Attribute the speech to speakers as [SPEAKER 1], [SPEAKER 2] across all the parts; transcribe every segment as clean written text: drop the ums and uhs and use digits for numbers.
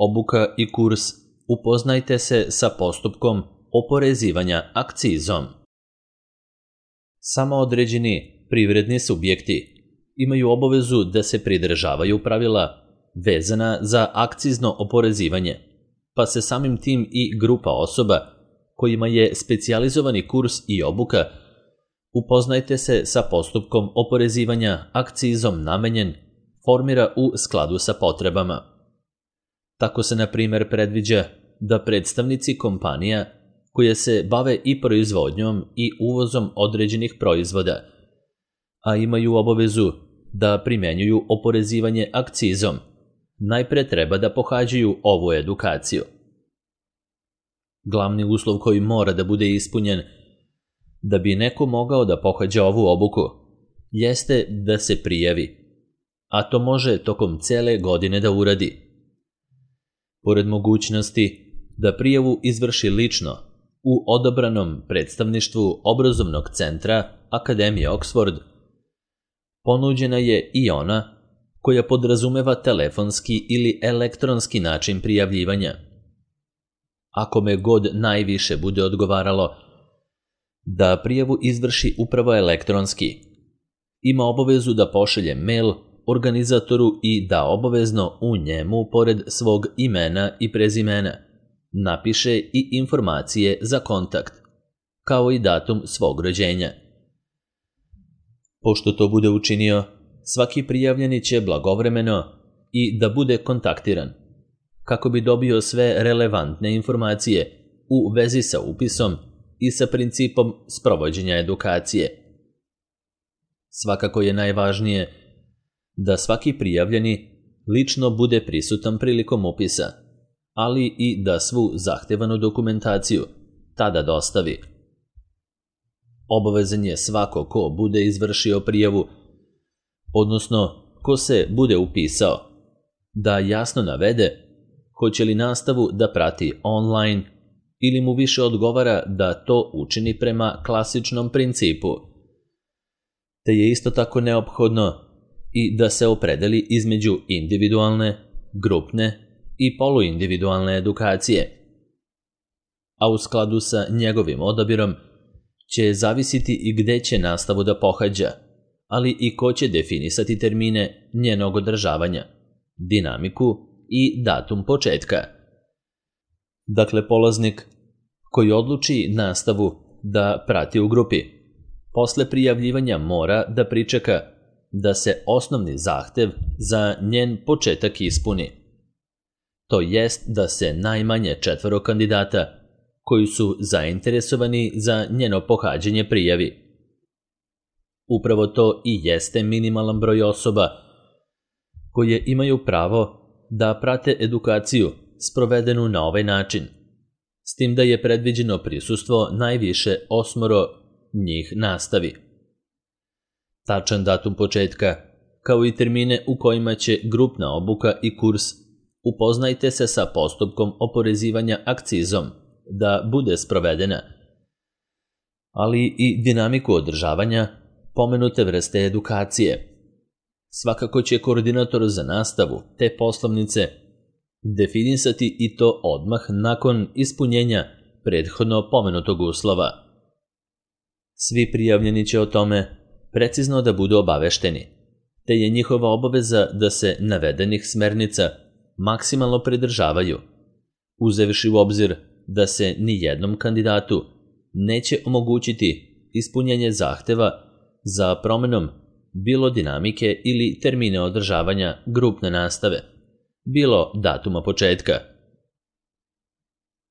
[SPEAKER 1] Obuka i kurs Upoznajte se sa postupkom oporezivanja akcizom. Samo određeni privredni subjekti imaju obavezu da se pridržavaju pravila vezana za akcizno oporezivanje, pa se samim tim i grupa osoba kojima je specijalizovani kurs i obuka Upoznajte se sa postupkom oporezivanja akcizom namenjen formira u skladu sa potrebama. Tako se, na primjer, predviđa da predstavnici kompanija koje se bave i proizvodnjom i uvozom određenih proizvoda, a imaju obavezu da primjenjuju oporezivanje akcizom, najpre treba da pohađaju ovu edukaciju. Glavni uslov koji mora da bude ispunjen da bi neko mogao da pohađa ovu obuku jeste da se prijavi, a to može tokom cele godine da uradi. Pored mogućnosti da prijavu izvrši lično u odabranom predstavništvu obrazovnog centra Akademije Oxford, ponuđena je i ona koja podrazumeva telefonski ili elektronski način prijavljivanja. Ako me god najviše bude odgovaralo da prijavu izvrši upravo elektronski, ima obavezu da pošalje mail organizatoru i da obavezno u njemu, pored svog imena i prezimena, napiše i informacije za kontakt, kao i datum svog rođenja. Pošto to bude učinio, svaki prijavljeni će blagovremeno i da bude kontaktiran, kako bi dobio sve relevantne informacije u vezi sa upisom i sa principom sprovođenja edukacije. Svakako je najvažnije da svaki prijavljeni lično bude prisutan prilikom upisa, ali i da svu zahtevanu dokumentaciju tada dostavi. Obavezan je svako ko bude izvršio prijavu, odnosno ko se bude upisao, da jasno navede hoće li nastavu da prati online ili mu više odgovara da to učini prema klasičnom principu. Te je isto tako neophodno i da se opredeli između individualne, grupne i poluindividualne edukacije. A u skladu sa njegovim odabirom će zavisiti i gde će nastavu da pohađa, ali i ko će definisati termine njenog održavanja, dinamiku i datum početka. Dakle, polaznik koji odluči nastavu da prati u grupi, posle prijavljivanja mora da pričeka da se osnovni zahtev za njen početak ispuni. To jest da se najmanje 4 kandidata koji su zainteresovani za njeno pohađanje prijavi. Upravo to i jeste minimalan broj osoba koje imaju pravo da prate edukaciju sprovedenu na ovaj način, s tim da je predviđeno prisustvo najviše 8 njih nastavi. Tačan datum početka, kao i termine u kojima će grupna obuka i kurs Upoznajte se sa postupkom oporezivanja akcizom da bude sprovedena, ali i dinamiku održavanja pomenute vrste edukacije. Svakako će koordinator za nastavu te poslovnice definisati i to odmah nakon ispunjenja prethodno pomenutog uslova. Svi prijavljeni će o tome precizno da budu obavešteni, te je njihova obaveza da se navedenih smernica maksimalno pridržavaju, uzevši u obzir da se ni jednom kandidatu neće omogućiti ispunjenje zahteva za promenom bilo dinamike ili termine održavanja grupne nastave, bilo datuma početka.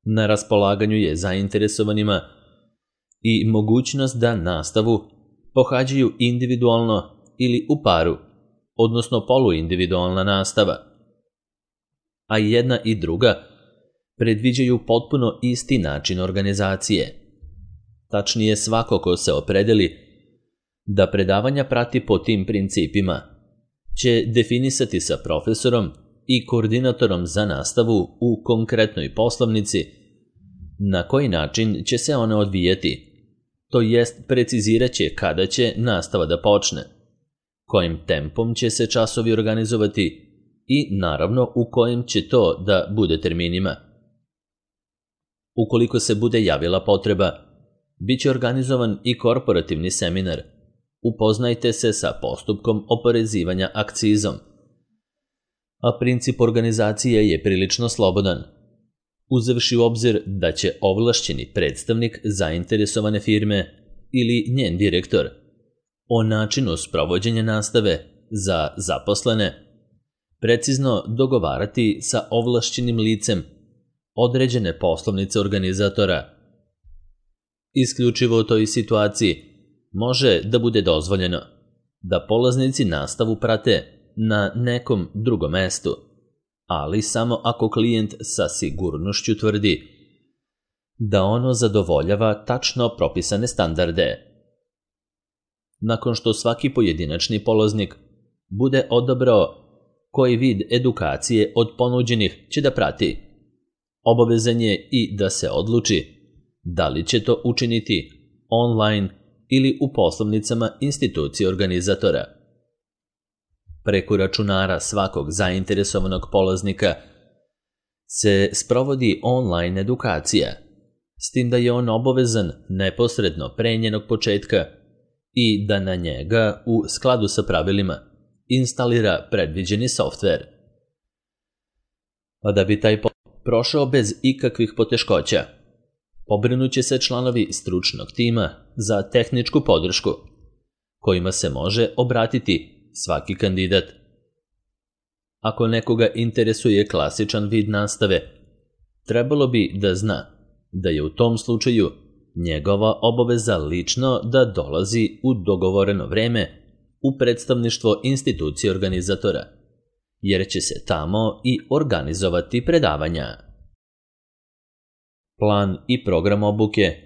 [SPEAKER 1] Na raspolaganju je zainteresovanima i mogućnost da nastavu pohađaju individualno ili u paru, odnosno poluindividualna nastava, a i jedna i druga predviđaju potpuno isti način organizacije. Tačnije, svako ko se opredeli da predavanja prati po tim principima će definisati sa profesorom i koordinatorom za nastavu u konkretnoj poslovnici na koji način će se ona odvijati, to jest precizirat će kada će nastava da počne, kojim tempom će se časovi organizovati i naravno u kojem će to da bude terminima. Ukoliko se bude javila potreba, bit će organizovan i korporativni seminar. Upoznajte se sa postupkom oporezivanja akcizom. A princip organizacije je prilično slobodan, uzevši u obzir da će ovlašćeni predstavnik zainteresovane firme ili njen direktor o načinu sprovođenja nastave za zaposlene precizno dogovarati sa ovlašćenim licem određene poslovnice organizatora. Isključivo u toj situaciji može da bude dozvoljeno da polaznici nastavu prate na nekom drugom mestu, ali samo ako klijent sa sigurnošću tvrdi da ono zadovoljava tačno propisane standarde. Nakon što svaki pojedinačni polaznik bude odabrao koji vid edukacije od ponuđenih će da prati, obavezan je i da se odluči da li će to učiniti online ili u poslovnicama institucije organizatora. Preko računara svakog zainteresovanog polaznika se sprovodi online edukacija, s tim da je on obavezan neposredno pre njenog početka i da na njega u skladu sa pravilima instalira predviđeni softver. A da bi taj prošao bez ikakvih poteškoća, pobrinuće se članovi stručnog tima za tehničku podršku, kojima se može obratiti svaki kandidat. Ako nekoga interesuje klasičan vid nastave, trebalo bi da zna da je u tom slučaju njegova obaveza lično da dolazi u dogovoreno vreme u predstavništvo institucije organizatora, jer će se tamo i organizovati predavanja. Plan i program obuke.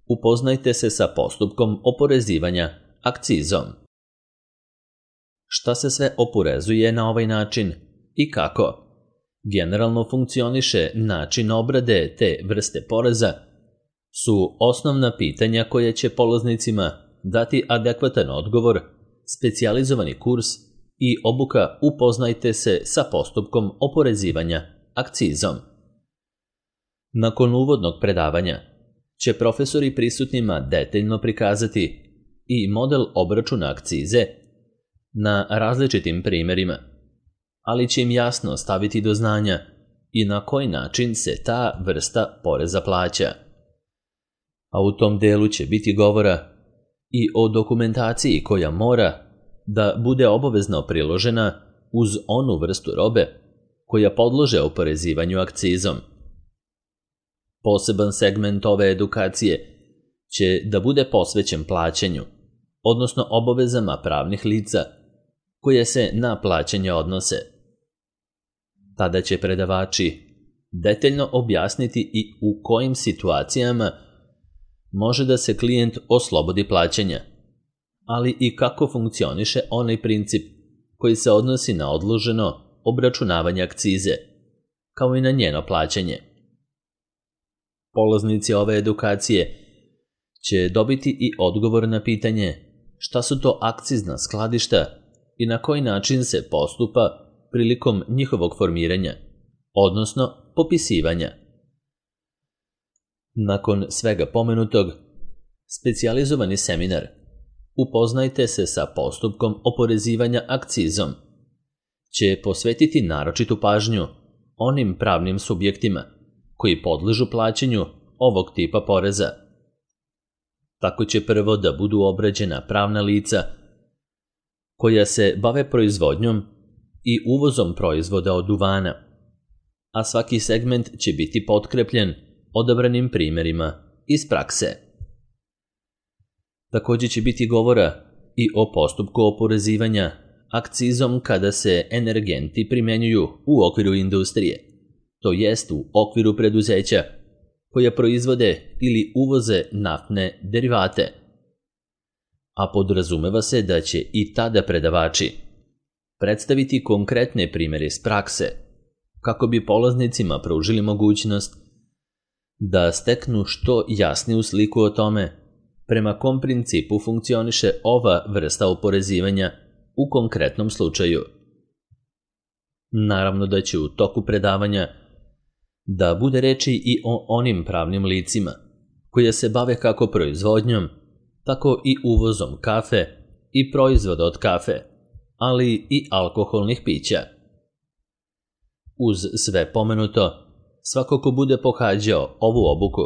[SPEAKER 1] Upoznajte se sa postupkom oporezivanja akcizom. Šta se sve oporezuje na ovaj način i kako? Generalno funkcioniše način obrade te vrste poreza su osnovna pitanja koje će polaznicima dati adekvatan odgovor, specijalizovani kurs i obuka Upoznajte se sa postupkom oporezivanja akcizom. Nakon uvodnog predavanja će profesori prisutnima detaljno prikazati i model obračuna akcize na različitim primerima, ali će im jasno staviti do znanja i na koji način se ta vrsta poreza plaća. A u tom delu će biti govora i o dokumentaciji koja mora da bude obavezno priložena uz onu vrstu robe koja podlože oporezivanju akcizom. Poseban segment ove edukacije će da bude posvećen plaćanju, odnosno obavezama pravnih lica koje se na plaćanje odnose. Tada će predavači detaljno objasniti i u kojim situacijama može da se klijent oslobodi plaćanja, ali i kako funkcioniše onaj princip koji se odnosi na odloženo obračunavanje akcize, kao i na njeno plaćanje. Polaznici ove edukacije će dobiti i odgovor na pitanje šta su to akcizna skladišta i na koji način se postupa prilikom njihovog formiranja, odnosno popisivanja. Nakon svega pomenutog, specijalizovani seminar Upoznajte se sa postupkom oporezivanja akcizom će posvetiti naročitu pažnju onim pravnim subjektima koji podležu plaćanju ovog tipa poreza. Tako će prvo da budu obrađena pravna lica koja se bave proizvodnjom i uvozom proizvoda od duvana, a svaki segment će biti potkrepljen odabranim primerima iz prakse. Također će biti govora i o postupku oporezivanja akcizom kada se energenti primjenjuju u okviru industrije, to jest u okviru preduzeća koja proizvode ili uvoze naftne derivate. A podrazumeva se da će i tada predavači predstaviti konkretne primjere iz prakse kako bi polaznicima pružili mogućnost da steknu što jasniju sliku o tome prema kom principu funkcioniše ova vrsta oporezivanja u konkretnom slučaju. Naravno da će u toku predavanja da bude reči i o onim pravnim licima koja se bave kako proizvodnjom, tako i uvozom kafe i proizvoda od kafe, ali i alkoholnih pića. Uz sve pomenuto, svako ko bude pohađao ovu obuku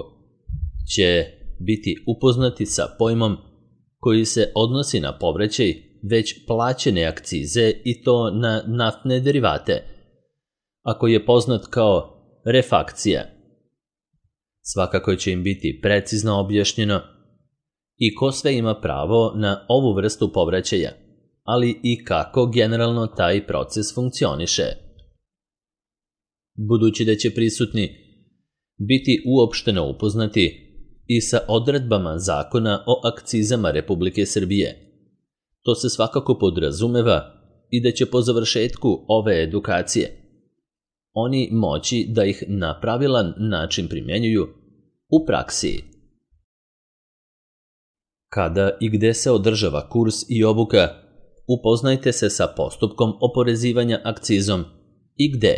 [SPEAKER 1] će biti upoznati sa pojmom koji se odnosi na povraćaj već plaćene akcize i to na naftne derivate, a koji je poznat kao refakcija. Svakako će im biti precizno objašnjeno i ko sve ima pravo na ovu vrstu povraćaja, ali i kako generalno taj proces funkcioniše. Budući da će prisutni biti uopšteno upoznati i sa odredbama Zakona o akcizama Republike Srbije, to se svakako podrazumeva i da će po završetku ove edukacije oni moći da ih na pravilan način primjenjuju u praksi. Kada i gde se održava kurs i obuka, upoznajte se sa postupkom oporezivanja akcizom i gde.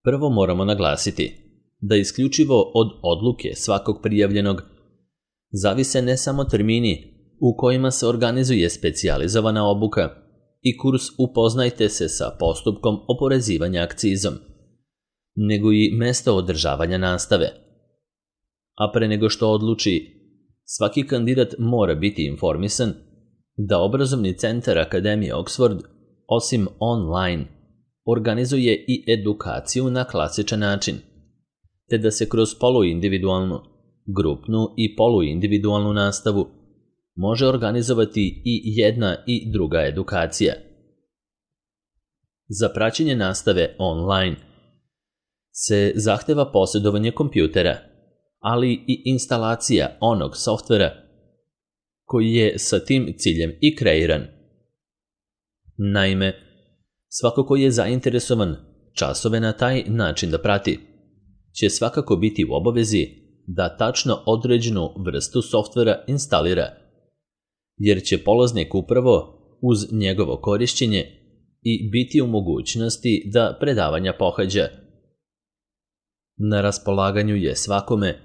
[SPEAKER 1] Prvo moramo naglasiti da isključivo od odluke svakog prijavljenog zavise ne samo termini u kojima se organizuje specijalizovana obuka i kurs upoznajte se sa postupkom oporezivanja akcizom, nego i mesto održavanja nastave. A pre nego što odluči, svaki kandidat mora biti informisan da obrazovni centar Akademije Oxford, osim online, organizuje i edukaciju na klasičan način, te da se kroz poluindividualnu, grupnu i poluindividualnu nastavu može organizovati i jedna i druga edukacija. Za praćenje nastave online se zahteva posjedovanje kompjutera, ali i instalacija onog softvera koji je sa tim ciljem i kreiran. Naime, svako ko je zainteresovan časove na taj način da prati, će svakako biti u obavezi da tačno određenu vrstu softvera instalira, jer će polaznik upravo uz njegovo korišćenje i biti u mogućnosti da predavanja pohađa. Na raspolaganju je svakome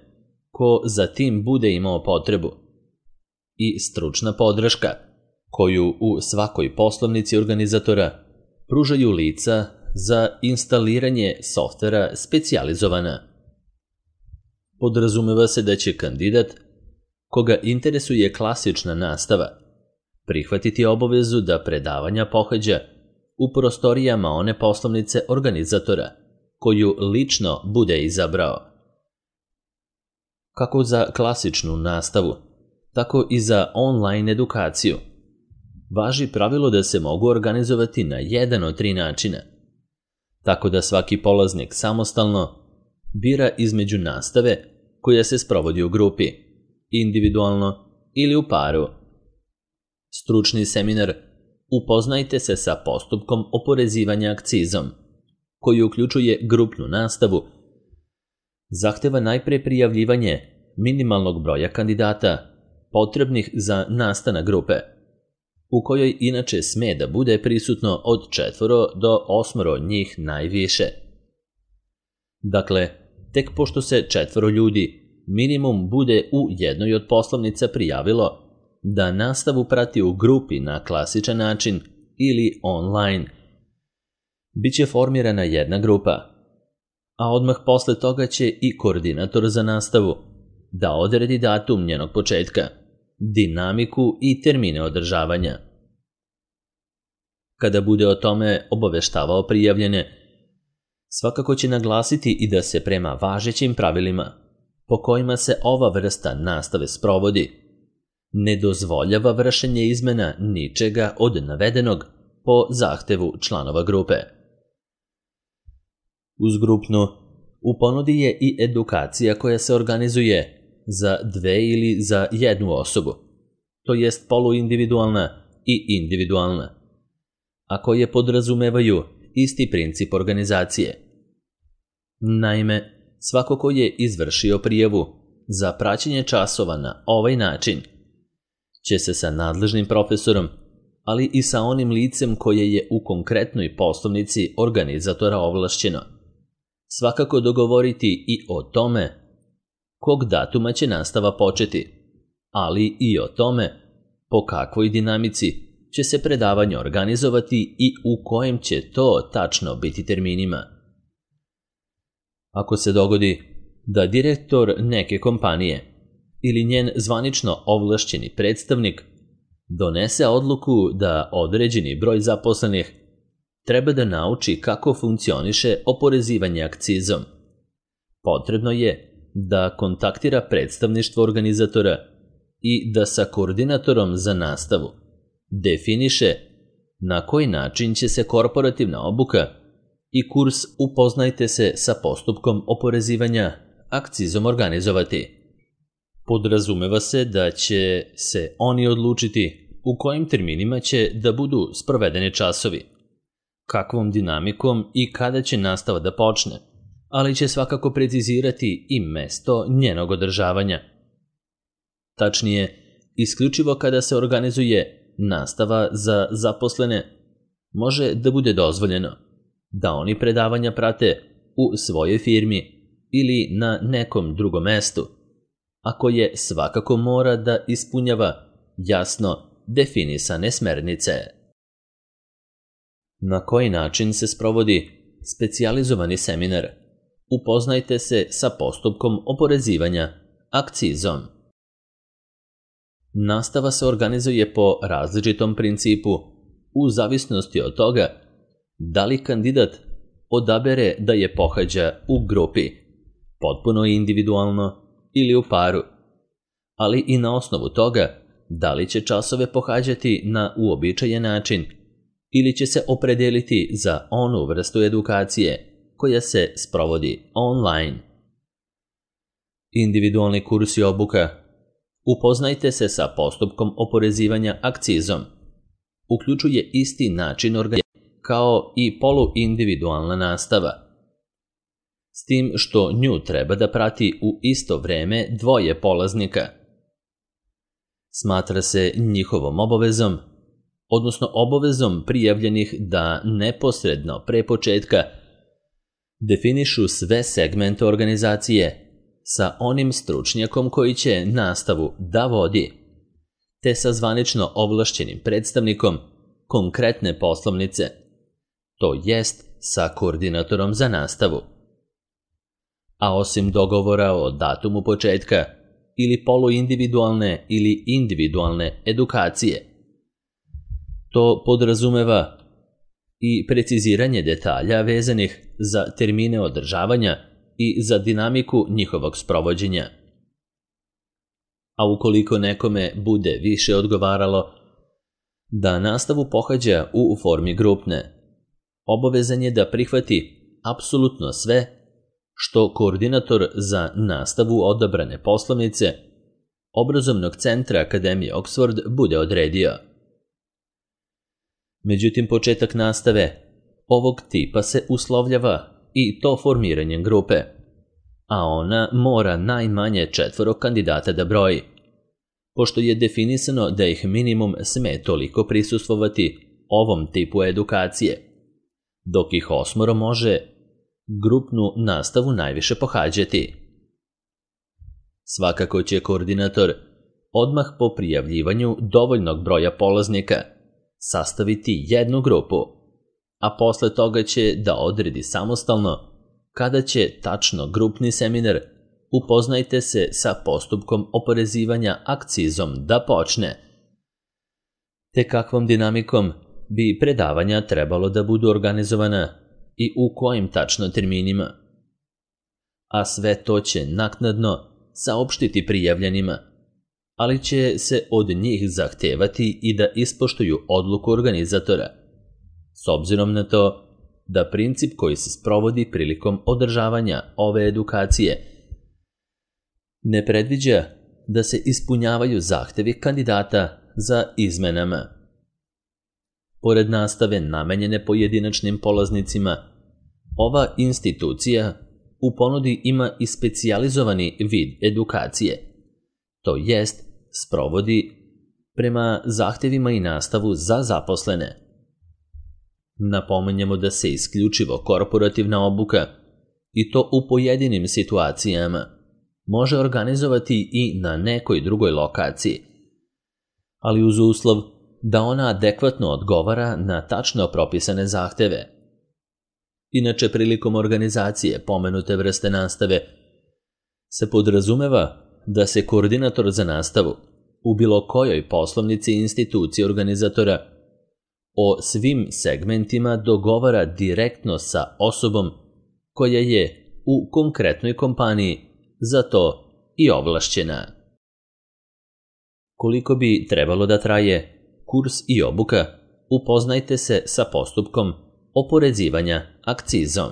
[SPEAKER 1] ko za tim bude imao potrebu i stručna podrška koju u svakoj poslovnici organizatora pružaju lica za instaliranje softvera specijalizovana. Podrazumeva se da će kandidat koga interesuje klasična nastava prihvatiti obavezu da predavanja pohađa u prostorijama one poslovnice organizatora koju lično bude izabrao. Kako za klasičnu nastavu, tako i za online edukaciju važi pravilo da se mogu organizovati na jedan od 3 načina, tako da svaki polaznik samostalno bira između nastave koja se sprovodi u grupi, individualno ili u paru. Stručni seminar Upoznajte se sa postupkom oporezivanja akcizom, koji uključuje grupnu nastavu, zahteva najpre prijavljivanje minimalnog broja kandidata potrebnih za nastanak grupe, u kojoj inače sme da bude prisutno od 4 do 8 njih najviše. Dakle, tek pošto se 4 ljudi minimum bude u jednoj od poslovnica prijavilo da nastavu prati u grupi na klasičan način ili online, biće formirana jedna grupa, a odmah posle toga će i koordinator za nastavu da odredi datum njenog početka, dinamiku i termine održavanja. Kada bude o tome obaveštavao prijavljene, svakako će naglasiti i da se prema važećim pravilima po kojima se ova vrsta nastave sprovodi ne dozvoljava vršenje izmena ničega od navedenog po zahtevu članova grupe. Uz grupnu, u ponudi je i edukacija koja se organizuje za 2 ili za 1 osobu, to jest poluindividualna i individualna, a koje podrazumevaju isti princip organizacije. Naime, svako ko je izvršio prijavu za praćenje časova na ovaj način će se sa nadležnim profesorom, ali i sa onim licem koje je u konkretnoj poslovnici organizatora ovlašćeno. Svakako dogovoriti i o tome kog datuma će nastava početi, ali i o tome po kakvoj dinamici će se predavanje organizovati i u kojem će to tačno biti terminima. Ako se dogodi da direktor neke kompanije ili njen zvanično ovlašćeni predstavnik donese odluku da određeni broj zaposlenih treba da nauči kako funkcioniše oporezivanje akcizom, potrebno je da kontaktira predstavništvo organizatora i da sa koordinatorom za nastavu definiše na koji način će se korporativna obuka i kurs Upoznajte se sa postupkom oporezivanja akcizom organizovati. Podrazumeva se da će se oni odlučiti u kojim terminima će da budu sprovedeni časovi, kakvom dinamikom i kada će nastava da počne, ali će svakako precizirati i mesto njenog održavanja. Tačnije, isključivo kada se organizuje nastava za zaposlene, može da bude dozvoljeno da oni predavanja prate u svojoj firmi ili na nekom drugom mestu, a koje svakako mora da ispunjava jasno definisane smernice. Na koji način se sprovodi specijalizovani seminar? Upoznajte se sa postupkom oporezivanja akcizom. Nastava se organizuje po različitom principu u zavisnosti od toga da li kandidat odabere da je pohađa u grupi, potpuno individualno ili u paru, ali i na osnovu toga da li će časove pohađati na uobičajen način ili će se opredeliti za onu vrstu edukacije koja se sprovodi online. Individualni kurs i obuka Upoznajte se sa postupkom oporezivanja akcizom uključuje isti način organizacije kao i poluindividualna nastava, s tim što nju treba da prati u isto vreme dvoje polaznika. Smatra se njihovom obavezom, odnosno obavezom prijavljenih da neposredno pre početka definišu sve segmente organizacije sa onim stručnjakom koji će nastavu da vodi, te sa zvanično ovlašćenim predstavnikom konkretne poslovnice, to jest sa koordinatorom za nastavu. A osim dogovora o datumu početka ili poluindividualne ili individualne edukacije, to podrazumeva i preciziranje detalja vezanih za termine održavanja i za dinamiku njihovog sprovođenja. A ukoliko nekome bude više odgovaralo da nastavu pohađa u formi grupne, obavezan je da prihvati apsolutno sve što koordinator za nastavu odabrane poslovnice Obrazovnog centra Akademije Oxford bude odredio. Međutim, početak nastave ovog tipa se uslovljava i to formiranjem grupe, a ona mora najmanje 4 kandidata da broji, pošto je definisano da ih minimum sme toliko prisustvovati ovom tipu edukacije, dok ih 8 može grupnu nastavu najviše pohađati. Svakako će koordinator odmah po prijavljivanju dovoljnog broja polaznika sastaviti jednu grupu, a posle toga će da odredi samostalno kada će tačno grupni seminar Upoznajte se sa postupkom oporezivanja akcizom da počne, te kakvom dinamikom bi predavanja trebalo da budu organizovana i u kojim tačno terminima. A sve to će naknadno saopštiti prijavljenima, ali će se od njih zahtevati i da ispoštuju odluku organizatora, s obzirom na to da princip koji se sprovodi prilikom održavanja ove edukacije ne predviđa da se ispunjavaju zahtevi kandidata za izmenama. Pored nastave namenjene pojedinačnim polaznicima, ova institucija u ponudi ima i specijalizovani vid edukacije, to jest sprovodi prema zahtjevima i nastavu za zaposlene. Napominjemo da se isključivo korporativna obuka, i to u pojedinim situacijama, može organizovati i na nekoj drugoj lokaciji, ali uz uslov da ona adekvatno odgovara na tačno propisane zahtjeve. Inače, prilikom organizacije pomenute vrste nastave se podrazumeva da se koordinator za nastavu u bilo kojoj poslovnici i instituciji organizatora o svim segmentima dogovara direktno sa osobom koja je u konkretnoj kompaniji za to i ovlašćena. Koliko bi trebalo da traje kurs i obuka, upoznajte se sa postupkom oporezivanja akcizom.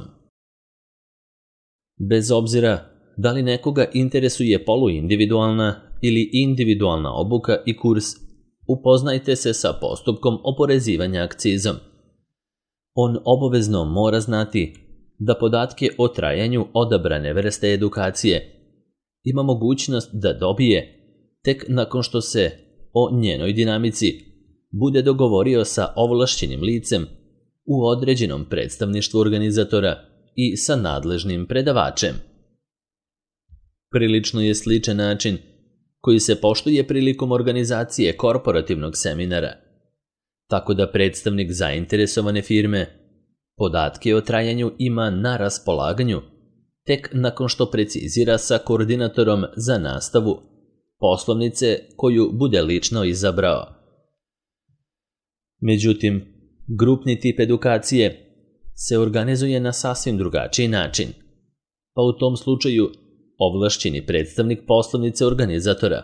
[SPEAKER 1] Bez obzira da li nekoga interesuje poluindividualna ili individualna obuka i kurs, upoznajte se sa postupkom oporezivanja akcizom. On obavezno mora znati da podatke o trajanju odabrane vrste edukacije ima mogućnost da dobije tek nakon što se o njenoj dinamici bude dogovorio sa ovlašćenim licem u određenom predstavništvu organizatora i sa nadležnim predavačem. Prilično je sličan način koji se poštuje prilikom organizacije korporativnog seminara, tako da predstavnik zainteresovane firme podatke o trajanju ima na raspolaganju tek nakon što precizira sa koordinatorom za nastavu poslovnice koju bude lično izabrao. Međutim, grupni tip edukacije se organizuje na sasvim drugačiji način, pa u tom slučaju ovlašćeni predstavnik poslovnice organizatora,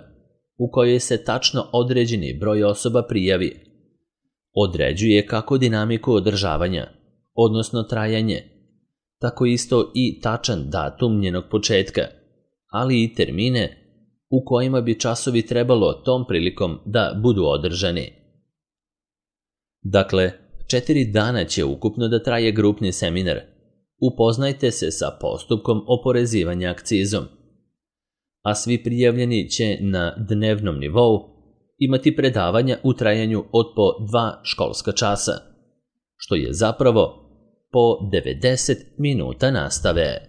[SPEAKER 1] u kojoj se tačno određeni broj osoba prijavi, određuje kako dinamiku održavanja, odnosno trajanje, tako isto i tačan datum njenog početka, ali i termine u kojima bi časovi trebalo tom prilikom da budu održani. Dakle, 4 dana će ukupno da traje grupni seminar. Upoznajte se sa postupkom oporezivanja akcizom, a svi prijavljeni će na dnevnom nivou imati predavanja u trajanju od po 2 školska časa, što je zapravo po 90 minuta nastave.